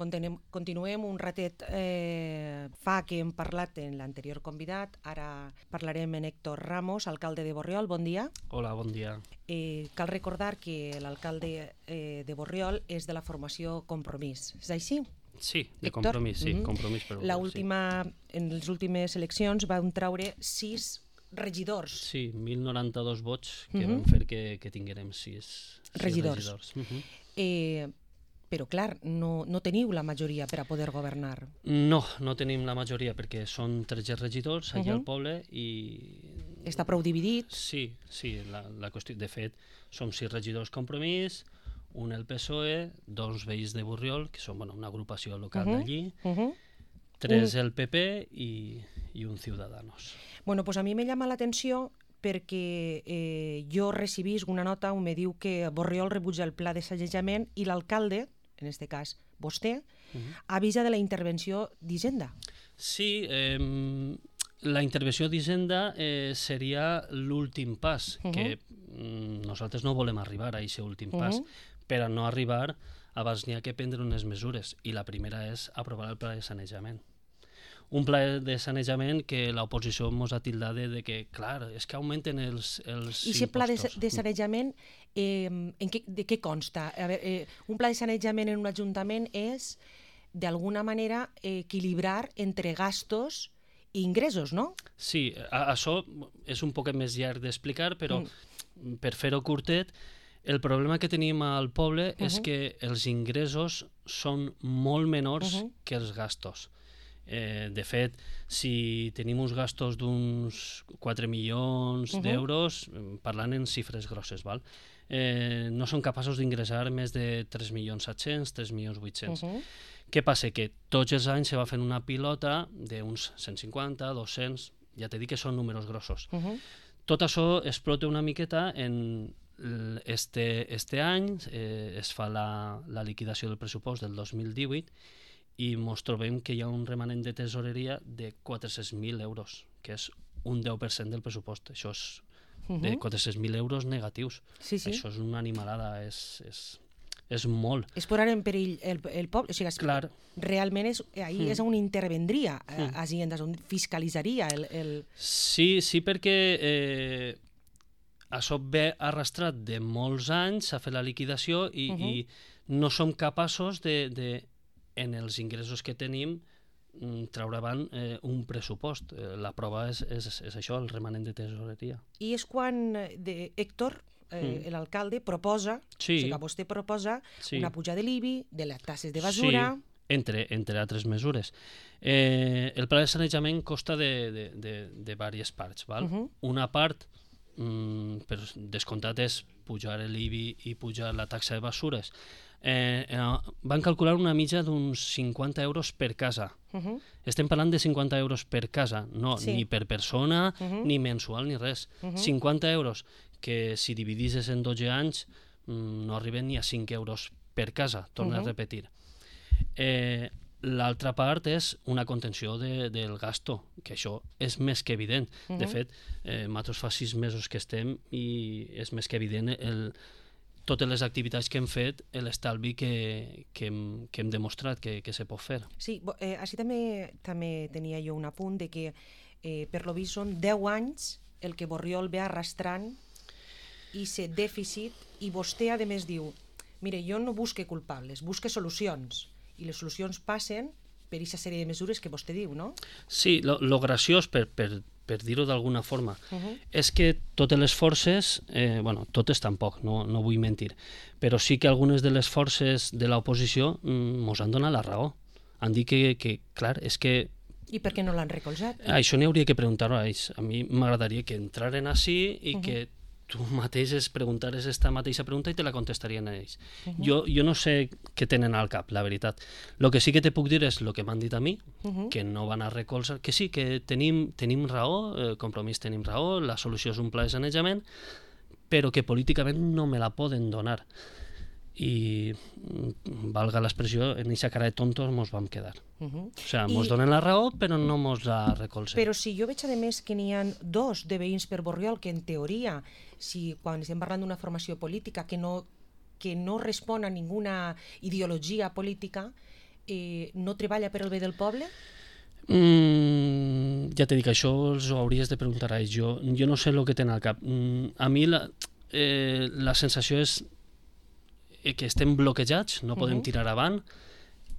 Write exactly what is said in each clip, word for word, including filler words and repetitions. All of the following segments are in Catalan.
Continuem, continuem un ratet eh, fa que hem parlat en l'anterior convidat, ara parlarem en Héctor Ramos, alcalde de Borriol, bon dia. Hola, bon dia. Eh, cal recordar que l'alcalde eh, de Borriol és de la formació Compromís, és així? Sí, de Héctor? Compromís, sí, Mm-hmm. Compromís per La Borriol, última, sí. En les últimes eleccions van traure sis regidors. Sí, mil noranta-dos vots que Mm-hmm. van fer que, que tinguérem sis, sis Regidors. regidors. Uh-huh. Eh, però, clar, no, no teniu la majoria per a poder governar. No, no tenim la majoria perquè són tretze regidors allà Uh-huh. al poble i... Està prou dividit. Sí, sí, la, la qüestió... De fet, som sis regidors Compromís, un el P S O E, dos veïns de Borriol, que són bueno, una agrupació local Uh-huh. d'allí, Uh-huh. tres el P P i, i un Ciudadanos. Bueno, pues a mi me llama l'atenció perquè eh, jo recibís una nota on me diu que Borriol rebutja el pla de sanejament i l'alcalde, en este cas vostè, Uh-huh. avisa de la intervenció d'Hisenda. Sí, eh, la intervenció d'Hisenda eh, seria l'últim pas, Uh-huh. que mm, nosaltres no volem arribar a aquest últim pas, Uh-huh. per a no arribar abans n'hi ha que prendre unes mesures, i la primera és aprovar el pla de sanejament. Un pla de sanejament que l'oposició ens ha tildat de, de que, clar, és que augmenten els, els I aquest pla de, impostos. de sanejament, eh, en què, de què consta? A veure, eh, un pla de sanejament en un ajuntament és, d'alguna manera, eh, equilibrar entre gastos i ingressos, no? Sí, a, això és un poc més llarg d'explicar, però mm. per fer-ho curtet, el problema que tenim al poble uh-huh. és que els ingressos són molt menors uh-huh. que els gastos. Eh, de fet, si tenim uns gastos d'uns quatre milions uh-huh. d'euros, parlant en xifres grosses, val? Eh, no són capaços d'ingressar més de tres milions set-cents, tres milions vuit-cents. Uh-huh. Què passa? Que tots els anys se va fent una pilota d'uns cent cinquanta, dos-cents, ja t'he dit que són números grossos. Uh-huh. Tot això explota una miqueta en este, este any, eh, es fa la, la liquidació del pressupost del dos mil divuit i ens trobem que hi ha un remanent de tesoreria de quatre-cents mil euros, que és un deu per cent del pressupost. Això és uh-huh. de quatre-cents mil euros negatius. Sí, sí. Això és una animalada, és, és, és molt. És posar en perill el, el poble. O sigui, Clar. Realment és, ahir mm. és on intervendria mm. a Hacienda, on fiscalitzaria el... el... Sí, sí, perquè eh, això ve arrastrat de molts anys a fer la liquidació i, uh-huh. i no som capaços de, de en els ingressos que tenim treure avant eh, un pressupost. Eh, la prova és, és, és això, el remanent de tesoreria. I és quan de Héctor, eh, mm. l'alcalde, proposa, sí. o sigui, vostè proposa sí. una puja de l'I B I, de les tasses de basura... Sí, entre, entre altres mesures. Eh, el pla de sanejament consta de, de, de, de diverses parts. Val? Uh-huh. Una part, mm, per descomptat, és pujar l'I B I i pujar la taxa de basures. Eh, eh, van calcular una mitja d'uns cinquanta euros per casa. Uh-huh. Estem parlant de cinquanta euros per casa, no sí. ni per persona, uh-huh. ni mensual, ni res. Uh-huh. cinquanta euros, que si dividisses en dotze anys mm, no arriben ni a cinc euros per casa, torno uh-huh. a repetir. Eh, L'altra part és una contenció de, del gasto, que això és més que evident. Uh-huh. De fet, eh, nosaltres fa sis mesos que estem i és més que evident el, totes les activitats que hem fet, l'estalvi que, que, hem, que hem demostrat que, que se pot fer. Sí, eh, així també, també tenia jo un apunt de que eh, per lo vist són deu anys el que Borriol ve arrastrant i se dèficit, i vostè a més diu, mire, jo no busque culpables, busque solucions, i les solucions passen per aquesta sèrie de mesures que vostè diu, no? Sí, lo, lo graciós, per, per, per dir-ho d'alguna forma, uh-huh. és que totes les forces, eh, bueno, totes tampoc, no, no vull mentir, però sí que algunes de les forces de l'oposició ens mm, han donat la raó. Han dit que, que, clar, és que... I per què no l'han recolzat? Això n'hi hauria que preguntar-ho a ells. A mi m'agradaria que entraren així i uh-huh. que tu mateix es preguntares esta mateixa pregunta i te la contestarien a ells. Uh-huh. Jo, jo no sé què tenen al cap, la veritat. El que sí que te puc dir és el que m'han dit a mi, uh-huh. que no van a recolzar, que sí, que tenim, tenim raó, eh, Compromís tenim raó, la solució és un pla de sanejament, però que políticament no me la poden donar. I, valga l'expressió, en aquesta cara de tontos mos vam quedar. Uh-huh. O sigui, mos I... donen la raó, però no mos la recolzen. Però si jo veig, a més, que n'hi ha dos de veïns per Borriol que, en teoria, si quan estem parlant d'una formació política que no, que no respon a ninguna ideologia política, eh, no treballa per al bé del poble? Mm, ja t'he dit que això els ho hauries de preguntar a ells. Jo, jo no sé el que tenen al cap. Mm, a mi la, eh, la sensació és que estem bloquejats, no podem uh -huh. tirar avant,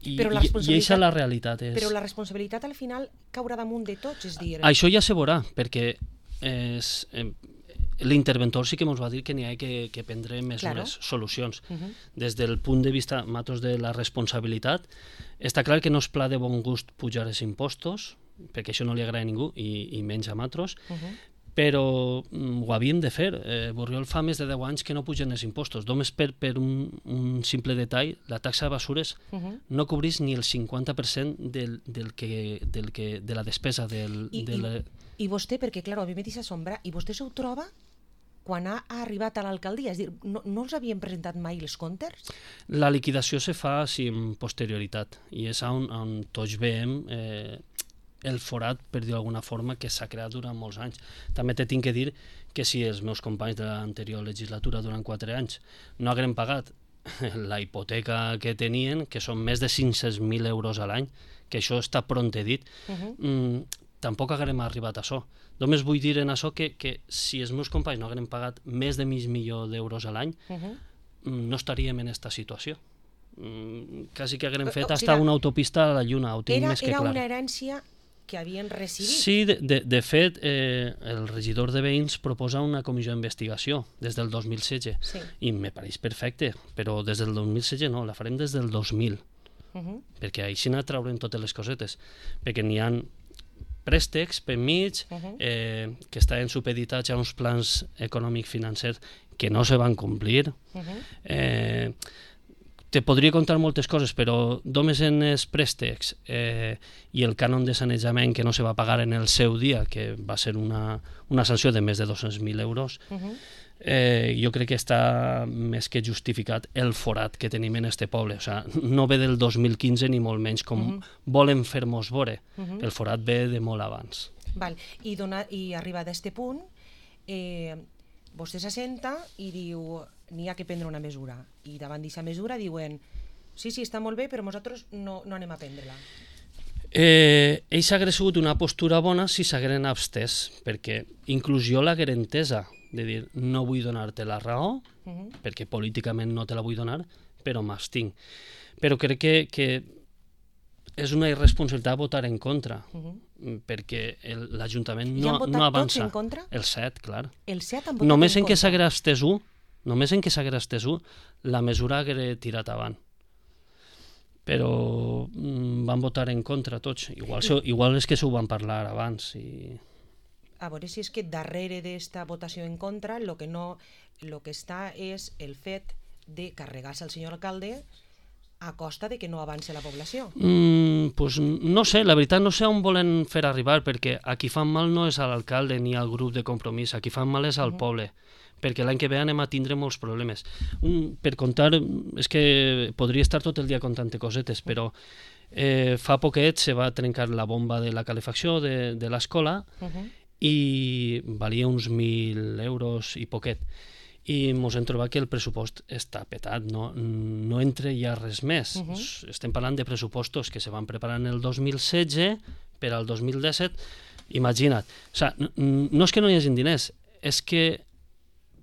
i, però la i, i eixa la realitat. És... Però la responsabilitat al final caurà damunt de tots, és dir... Això ja se veurà, perquè és, eh, l'interventor sí que ens va dir que n'hi ha que, que prendre mesures, claro. solucions. Uh -huh. Des del punt de vista, matos, de la responsabilitat, està clar que no és pla de bon gust pujar els impostos, perquè això no li agrada a ningú, i, i menys a matros, uh -huh. però mm, ho havíem de fer. Eh, Borriol fa més de deu anys que no pugen els impostos. Només per, per un, un simple detall, la taxa de basures uh -huh. no cobrís ni el cinquanta per cent del, del que, del que, de la despesa del... I, de la... i, i vostè, perquè clar, a mi m'he dit assombrar, i vostè s'ho troba quan ha arribat a l'alcaldia? És dir, no, no els havien presentat mai els comptes? La liquidació se fa sí, amb posterioritat, i és on, on tots veiem eh, el forat, per dir d'alguna forma, que s'ha creat durant molts anys. També te tinc que dir que si els meus companys de l'anterior legislatura durant quatre anys no hagueren pagat la hipoteca que tenien, que són més de cinc-cents mil euros a l'any, que això està pront dit, uh -huh. mm, tampoc haguem arribat a això. Només vull dir en això que, que si els meus companys no hagueren pagat més de mig milió d'euros a l'any, uh -huh. no estaríem en aquesta situació. Mm, quasi que haguem fet hasta una autopista a la Lluna, ho tinc era, més que era clar. Era una herència que havien recibit. Sí, de, de, de fet, eh, el regidor de Veïns proposa una comissió d'investigació des del dos mil setze, sí. I me pareix perfecte, però des del dos mil setze no, la farem des del dos mil, uh -huh. perquè així no traurem totes les cosetes, perquè n'hi ha préstecs per mig, uh -huh. eh, que estaven supeditats a uns plans econòmics financers que no se van complir. Uh -huh. eh, te podria contar moltes coses, però només en els préstecs eh, i el cànon de sanejament que no se va pagar en el seu dia, que va ser una, una sanció de més de dos-cents mil euros, uh -huh. eh, jo crec que està més que justificat el forat que tenim en este poble. O sea, no ve del dos mil quinze ni molt menys com uh -huh. volen fer-nos veure. Uh -huh. El forat ve de molt abans. Val. I, dona, i arribat a este punt, eh, vostè s'assenta i diu n'hi ha que prendre una mesura. I davant d'aquesta mesura diuen sí, sí, està molt bé, però nosaltres no, no anem a prendre-la. Eh, ells hagués sigut una postura bona si s'hagueren abstès, perquè inclús jo l'haguera entesa, de dir, no vull donar-te la raó, uh -huh. perquè políticament no te la vull donar, però m'abstinc. Però crec que, que és una irresponsabilitat votar en contra, uh -huh. perquè l'Ajuntament no, no avança. En contra? El set, clar. El set han votat només en, en què s'haguera abstès un, només en què s'haguera abstès un, la mesura haguera tirat avant. Però mm, van votar en contra tots. Igual, I... igual és que s'ho van parlar abans. I... A veure si és que darrere d'esta votació en contra el que, no, lo que està és el fet de carregar-se al senyor alcalde a costa de que no avance la població. Mm, pues no sé, la veritat no sé on volen fer arribar, perquè a qui fan mal no és a l'alcalde ni al grup de Compromís, a qui fan mal és al uh-huh. poble, perquè l'any que ve anem a tindre molts problemes. Un, per contar, és que podria estar tot el dia contant cosetes, però eh, fa poquet se va trencar la bomba de la calefacció de, de l'escola uh-huh. i valia uns mil euros i poquet. I ens hem trobat que el pressupost està petat, no, no entra ja res més. Uh-huh. Estem parlant de pressupostos que se van preparar en el dos mil setze per al dos mil disset. Imagina't. O sea, no, no és que no hi hagi diners, és que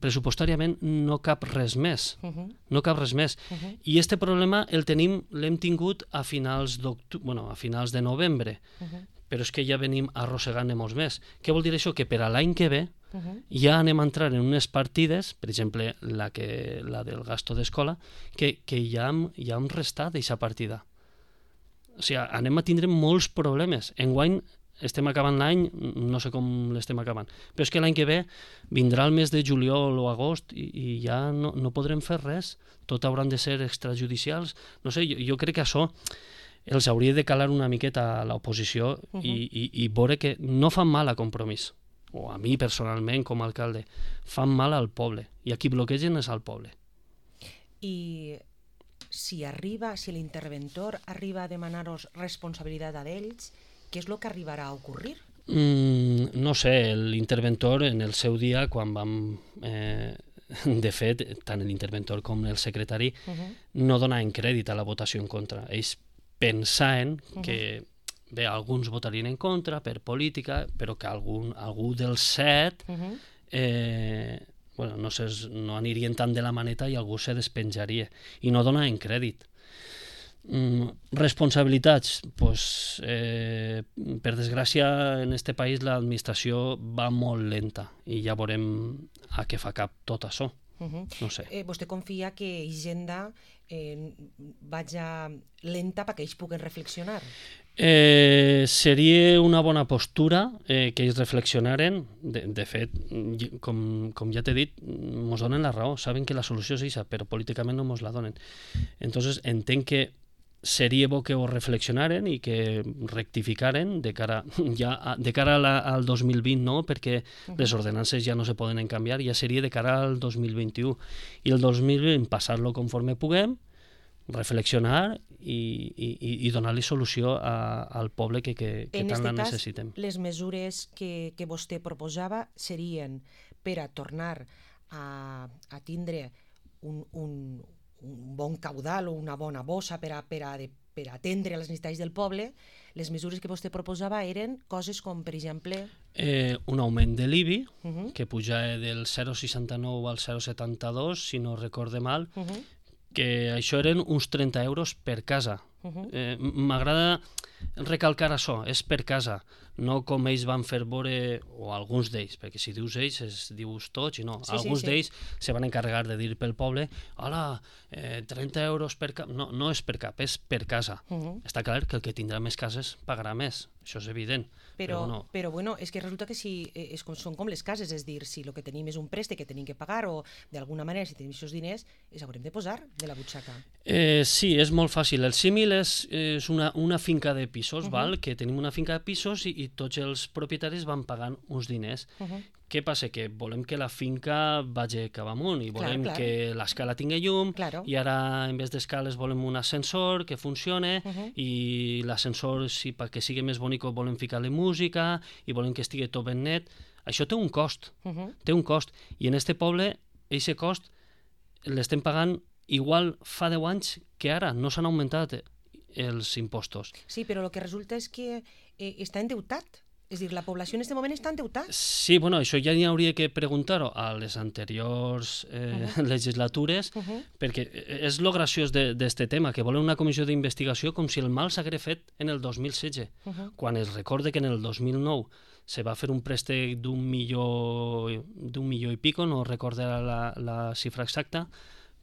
pressupostàriament no cap res més. Uh-huh. No cap res més. Uh-huh. I este problema el tenim, l'hem tingut a finals d'octubre, bueno, a finals de novembre, uh-huh. però és que ja venim arrossegant-ne molts més. Què vol dir això? Que per a l'any que ve uh-huh. ja anem a entrar en unes partides, per exemple, la, que, la del gasto d'escola, que, que ja hem, ja hem restat d'aquesta partida. O sigui, anem a tindre molts problemes. Enguany estem acabant l'any, no sé com l'estem acabant, però és que l'any que ve vindrà el mes de juliol o agost i, i ja no, no podrem fer res. Tot hauran de ser extrajudicials. No sé, jo, jo crec que això els hauria de calar una miqueta a l'oposició uh-huh. i, i, i veure que no fan mal a Compromís, o a mi personalment com a alcalde, fan mal al poble, i a qui bloquegen és al poble. I si arriba, si l'interventor arriba a demanar-vos responsabilitat a d'ells, què és el que arribarà a ocorrir? Mm, no sé, l'interventor en el seu dia, quan vam... Eh, de fet, tant l'interventor com el secretari uh-huh. no donaven crèdit a la votació en contra. Ells pensant que, bé, alguns votarien en contra per política, però que algun, algú dels set eh, bueno, no, sé, no anirien tant de la maneta i algú se despenjaria. I no donaven crèdit. Mm, responsabilitats, pues, eh, per desgràcia en este país l'administració va molt lenta i ja veurem a què fa cap tot això. Uh-huh. No sé. Eh, vostè confia que Hisenda eh, vaja lenta perquè ells puguen reflexionar? Eh, seria una bona postura eh, que ells reflexionaren. De, de fet, com, com ja t'he dit, ens donen la raó, saben que la solució és aquesta, però políticament no ens la donen. Entonces entenc que seria bo que ho reflexionaren i que rectificaren de cara, ja, de cara a la, al dos mil vint, no? Perquè uh-huh. les ordenances ja no se poden canviar, ja seria de cara al dos mil vint-i-u. I el dos mil vint passar-lo conforme puguem, reflexionar i, i, i donar-li solució a, al poble que, que, que tant la necessitem. En aquest cas, les mesures que, que vostè proposava serien per a tornar a, a tindre un, un, un bon caudal o una bona bossa per a, per a, per a atendre les necessitats del poble. Les mesures que vostè proposava eren coses com, per exemple... Eh, un augment de l'I B I, uh-huh. que puja del zero coma seixanta-nou al zero coma setanta-dos, si no recorde mal, uh-huh. que això eren uns trenta euros per casa. Uh-huh. Eh, m'agrada recalcar això, és per casa, no com ells van fer veure, o alguns d'ells, perquè si dius ells es dius tots i no, sí, alguns sí, sí. d'ells se van encarregar de dir pel poble, hola, eh, trenta euros per cap, no, no és per cap, és per casa. Uh-huh. Està clar que el que tindrà més cases pagarà més, això és evident. Però, però, no. però bueno, és que resulta que si és com, són com les cases, és dir, si el que tenim és un préstec que tenim que pagar o d'alguna manera si tenim aquests diners, els haurem de posar de la butxaca. Eh, sí, és molt fàcil. El símil és, és una, una finca de pisos, uh-huh. val? Que tenim una finca de pisos i, i tots els propietaris van pagant uns diners. Uh-huh. Què passa? Que volem que la finca vagi cap amunt i volem clar, clar. que l'escala tingui llum claro. I ara en vez d'escales volem un ascensor que funcione uh-huh. i l'ascensor si, perquè sigui més bonic volem ficar-li música i volem que estigui tot ben net. Això té un cost, uh-huh. té un cost i en este poble aquest cost l'estem pagant igual fa deu anys que ara, no s'han augmentat els impostos. Sí, però el que resulta és que eh, està endeutat. És a dir, la població en aquest moment està endeutada. Sí, bueno, això ja n'hi hauria que preguntar-ho a les anteriors eh, uh-huh. legislatures, uh-huh. perquè és lo graciós d'aquest tema, que volen una comissió d'investigació com si el mal s'hagués fet en el dos mil setze, uh-huh. quan es recorde que en el dos mil nou se va fer un préstec d'un milió, d'un milió i pico, no recordo la, la xifra exacta,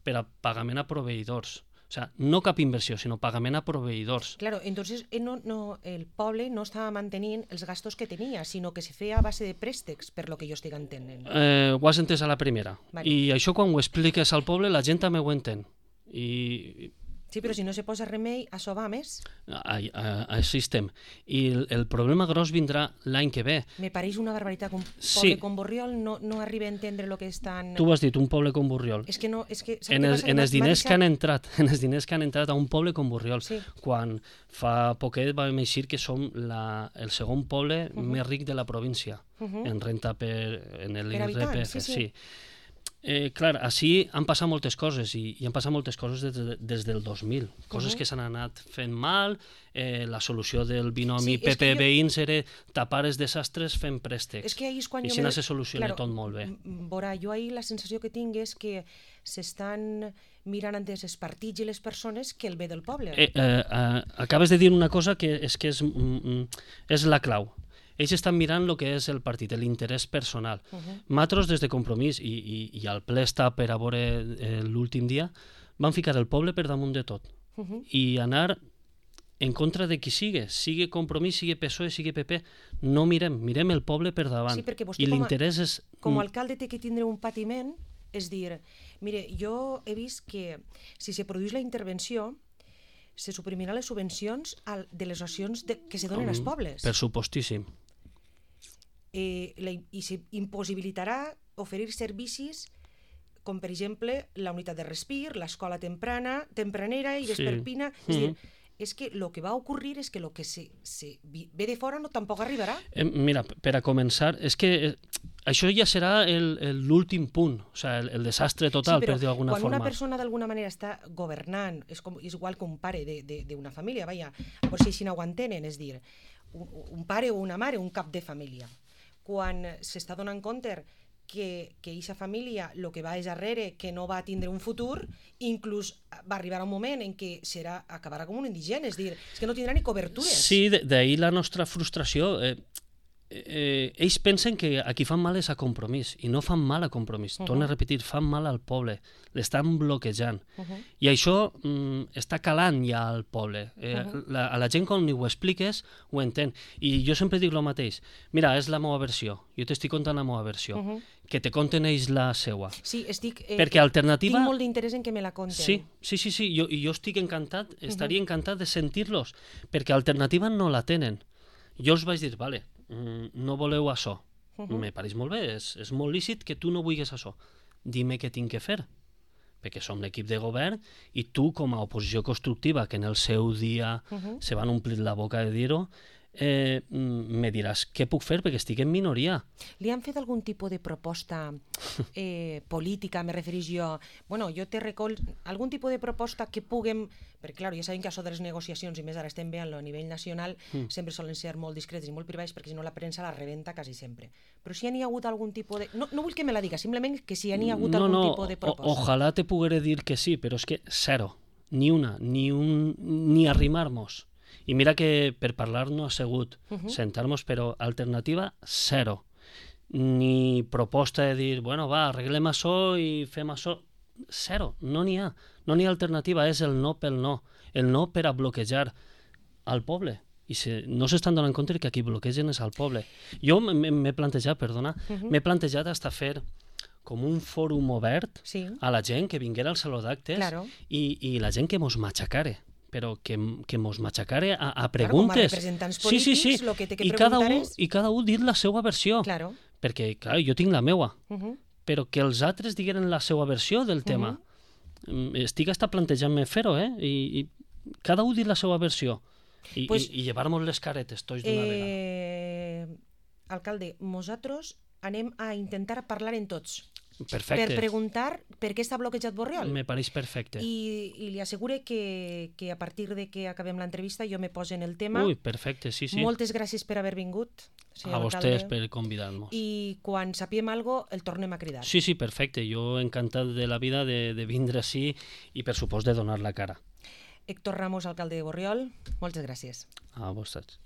per a pagament a proveïdors. O sea, no cap inversió, sinó pagament a proveïdors. Claro, entonces eh, no, no, el poble no estava mantenint els gastos que tenia, sinó que se feia a base de préstecs, per lo que jo estic entenent. Eh, ho has entès a la primera. Vale. I això quan ho expliques al poble la gent també ho entén. I... Sí, però si no se posa remei, això va més. Així estem. I el, el problema gros vindrà l'any que ve. Me pareix una barbaritat. Un poble sí. com Borriol no, no arriba a entendre el que estan... Tu ho has dit, un poble com Borriol. És que no... És que, en els, en els diners que han entrat, en els diners que han entrat a un poble com Borriol, sí. quan fa poquet vam eixir que som la, el segon poble uh-huh. més ric de la província, uh-huh. en renta per... en l'I R P F, sí. sí. sí. Eh, clar, així han passat moltes coses i, i han passat moltes coses des, de, des del dos mil, coses uh-huh. que s'han anat fent mal, eh, la solució del binomi sí, P P veïns jo... era tapar els desastres fent préstecs, és que és quan i així me... se soluciona claro, tot molt bé. Vora, jo ahir la sensació que tinc és que s'estan mirant antes els partits i les persones que el bé del poble. Eh, eh, eh, acabes de dir una cosa que és, que és, mm, és la clau. Ells estan mirant el que és el partit, l'interès personal. Uh-huh. Nosaltres, des de Compromís, i, i, i el ple està per a veure eh, l'últim dia, van ficar el poble per damunt de tot. Uh-huh. I anar en contra de qui sigui, sigui Compromís, sigui P S O E, sigui P P, no mirem, mirem el poble per davant. Sí, perquè vostè I com a, l'interès és... com a alcalde té que tindre un patiment, és dir, mire, jo he vist que si se produeix la intervenció, se suprimirà les subvencions al, de les racions de, que se donen als pobles. Per supostíssim. Eh, la, i s'impossibilitarà oferir servicis com per exemple la unitat de respir, l'escola temprana, tempranera i vesperpina, sí. és mm-hmm. dir, és que el que va ocurrir és que el que se, se ve de fora no tampoc arribarà. Eh, mira, per a començar, és que això ja serà l'últim punt, o sigui, el, el desastre total, sí, per dir d'alguna forma. forma. Quan una persona d'alguna manera està governant, és, com, és igual que un pare d'una família, vaja, per si així no ho entenen, és dir, un, un pare o una mare, un cap de família. Quan s'està donant compte que aquesta família el que va és darrere, que no va tindre un futur, inclús va arribar un moment en què serà, acabarà com un indigent, és dir, és que no tindrà ni cobertures. Sí, d'ahir la nostra frustració. Eh, eh, ells pensen que a qui fan mal és a Compromís, i no fan mal a Compromís. Uh -huh. Torno a repetir, fan mal al poble, l'estan bloquejant. Uh -huh. I això mm, està calant ja al poble. Eh, uh -huh. la, a la gent, quan ho expliques, ho entén. I jo sempre dic el mateix. Mira, és la meva versió. Jo t'estic contant la meva versió. Uh -huh. Que te conten ells la seua. Sí, estic... Eh, Perquè alternativa... Tinc molt d'interès en que me la conten. Sí, sí, sí, sí. Jo, jo estic encantat, estaria uh -huh. encantat de sentir-los, perquè alternativa no la tenen. Jo els vaig dir, vale, no voleu això. Uh -huh. Me pareix molt bé, és, és molt lícit que tu no vulguis això. Dime què tinc que fer, perquè som l'equip de govern i tu, com a oposició constructiva, que en el seu dia uh -huh. se van omplir la boca de dir-ho, eh, me diràs què puc fer perquè estic en minoria. Li han fet algun tipus de proposta eh, política, me referís jo? Bueno, jo te recol... Algun tipus de proposta que puguem... Perquè, clar, ja sabem que això de les negociacions, i més ara estem veient-lo a nivell nacional, mm. sempre solen ser molt discrets i molt privats, perquè si no la premsa la rebenta quasi sempre. Però si hi ha hagut algun tipus de... No, no vull que me la diga, simplement que si hi ha hagut no, algun no, tipus de proposta. O, ojalà te poguera dir que sí, però és que zero. Ni una, ni un... ni arrimar-nos. I mira que per parlar no ha sigut uh -huh. sentar-nos, però alternativa, zero. Ni proposta de dir, bueno, va, arreglem això i fem això. Zero, no n'hi ha. No n'hi ha alternativa, és el no pel no. El no per a bloquejar al poble. I si no s'estan donant compte que aquí bloquegen és al poble. Jo m'he plantejat, perdona, uh -huh. m'he plantejat hasta fer com un fòrum obert sí. a la gent que vinguera al saló d'actes claro. i, i la gent que mos matxacare. Però que, que mos matxacare a, a preguntes. Claro, com a representants polítics, sí, sí, sí. Lo que té que I preguntar cada un, és... I cada un dir la seva versió. Claro. Perquè, clar, jo tinc la meua. Uh -huh. Però que els altres digueren la seva versió del tema. Uh -huh. Estic hasta plantejant-me fer-ho, eh? I, I cada un dir la seva versió. I, pues, i, i llevar-nos les caretes tots d'una eh, vegada. Alcalde, nosaltres anem a intentar parlar en tots. Perfecte. Per preguntar per què està bloquejat Borriol. Me pareix perfecte. I, i li assegure que, que a partir de que acabem l'entrevista jo me poso en el tema. Ui, perfecte, sí, sí. Moltes gràcies per haver vingut, a vostès per convidar-nos. I quan sapiem alguna cosa, el tornem a cridar. Sí, sí, perfecte. Jo encantat de la vida de, de vindre així i, per supost, de donar la cara. Héctor Ramos, alcalde de Borriol, moltes gràcies. A vostès.